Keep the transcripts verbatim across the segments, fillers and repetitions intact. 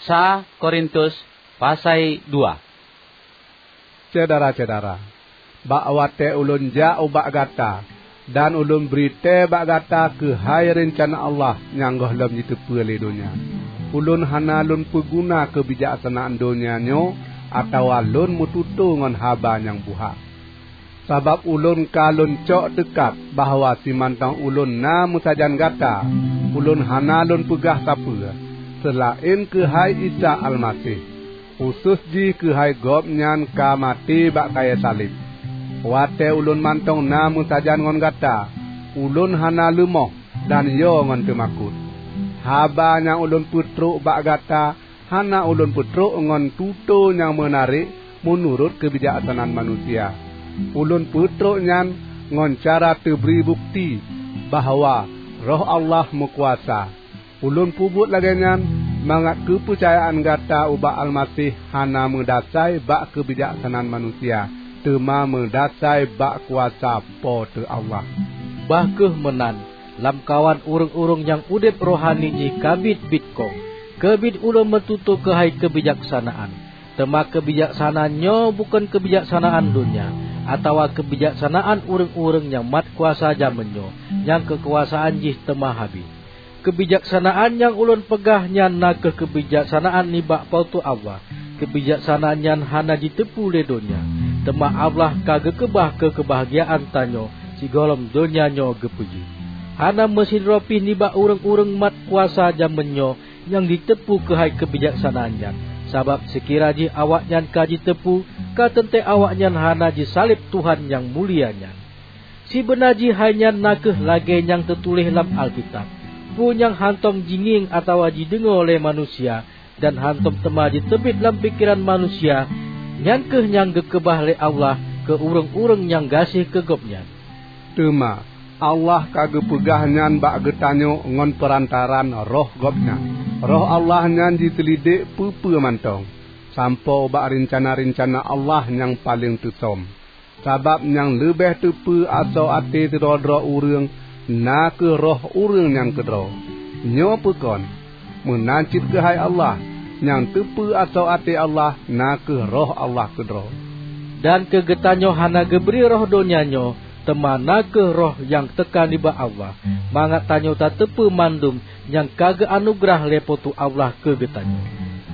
Sa Korintus pasai dua. Syedara-syedara, bak watée ulôn jak ubak gata, dan ulôn bri tée bak gata keuhai reuncana Allah nyang gohlom jiteupeu lé donya, ulôn hana lôn peuguna keubijaksanaan donya nyoe atawa lôn meututoe ngon haba nyang buhak. Sabab ulôn ka lôn cok teukat bahwa simantong ulôn na meusajan gata, ulôn hana lôn peugah sapeue, seulaén keuhai Isa Almaseh, khusos jih keuhai Gobnyan ka maté bak kayée saleb. Watée ulôn mantong na meusajan ngon gata, ulôn hana leumoh dan yo ngon teumakot. Haba nyang ulôn peutrok bak gata hana ulôn peutrok ngon tutoe nyang meunarek meunurot keubijaksanaan manusia. Ulôn peutrok nyan ngon cara teubri bukeuti bahwa Roh Allah meukuasa. Ulôn peubuet lagée nyan mangat keupeucayaan gata ubak Almaseh hana meudasai bak keubijaksanaan manusia, teuma meudasai bak kuasa Po teu Allah. Bah kheueh meunan, lamkawan ureuëng-ureuëng nyang udeb rohani jih ka biet-biet kong, keubiet ulôn meututoe keuhai keubijaksanaan. Teuma keubijaksanaan nyoe bukon keubijaksanaan donya, atawa keubijaksanaan ureuëng-ureuëng nyang mat kuasa jamén nyoe, nyang keukuasaan jih teuma habéh. Keubijaksanaan nyang ulôn peugah nyan na kheueh keubijaksanaan nibak Po teu Allah. Keubijaksanaan nyan hana jiteupeu lé donya, teuma Allah ka geukeubah keu keubahgiaan tanyoe sigohlom donya nyoe geupeujeuet. Hana meusidroe pih nibak ureuëng-ureuëng mat kuasa jamén nyoe nyang jiteupeu keuhai keubijaksanaan nyan, sabab seukira jih awaknyan ka jiteupeu, ka teuntée awaknyan hana jisaleb Tuhan nyang mulia nyan. Sibeuna jih hai nyan na kheueh lagée nyang teutuléh lam Alkitab, "Peue nyang hántom jingieng atawa jideungoe lé manusia, dan hántom teuma jiteubiet lam pikeran manusia, nyan kheueh nyang geukeubah lé Allah keu ureuëng-ureuëng nyang gaséh keu Gobnyan." Teuma Allah ka geupeugah nyan bak geutanyoe ngon peurantaraan Roh Gobnyan. Roh Allah nyan jiteulidik peue-peue mantong, sampoe ubak reuncana-reuncana Allah nyang paleng teusom. Sabab nyang leubeh teupeu asoe até sidroe-droe ureuëng na kheueh roh ureuëng nyan keudroe. Nyoe peue kon? Meunan cit keuhai Allah, nyang teupeu asoe até Allah na kheueh Roh Allah keudroe. Dan keu geutanyoe hana geubri roh donya nyoe, teuma na kheueh Roh nyang teuka nibak Allah, mangat tanyoe tateupeue mandum nyang ka geuanugeurah lé Po teu Allah keu geutanyoe.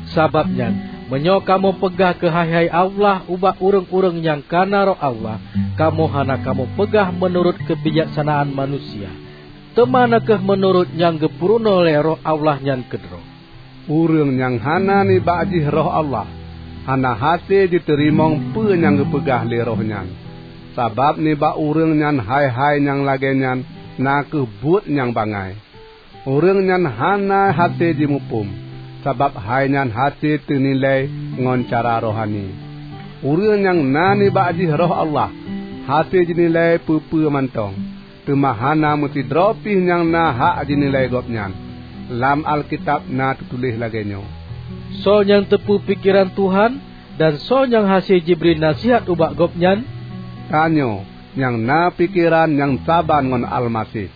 Sabab nyan, meunyoe kamoe peugah keuhai-hai Allah ubak ureuëng-ureuëng nyang ka na Roh Allah, kamoe hana kamoe peugah meunurot keubijaksanaan manusia, teuma na kheueh meunurot nyang geupeurunoe lé Roh Allah nyan keudroe. Ureuëng nyang hana nibak jih Roh Allah, hana hase jiteurimong peue nyang geupeugah lé Roh nyan. Sabab nibak ureuëng nyan hai-hai nyang lagée nyan na kheueh buet nyang bangai. Ureuëng nyan hana hase jimuphom, sabab hai nyan hase teunilai ngon cara rohani. Ureuëng nyang na nibak jih Roh Allah, hase jinilai peue-peue mantong, teuma hana meusidroe pih nyang na hak jinilai gobnyan. Lam Alkitab na teutuléh lagée nyoe, "Soe nyang teupeu pikeran Tuhan, dan soe nyang hase jibri naseuhat ubak Gobnyan?" Tanyoe nyang na pikeran nyang saban ngon Almaseh.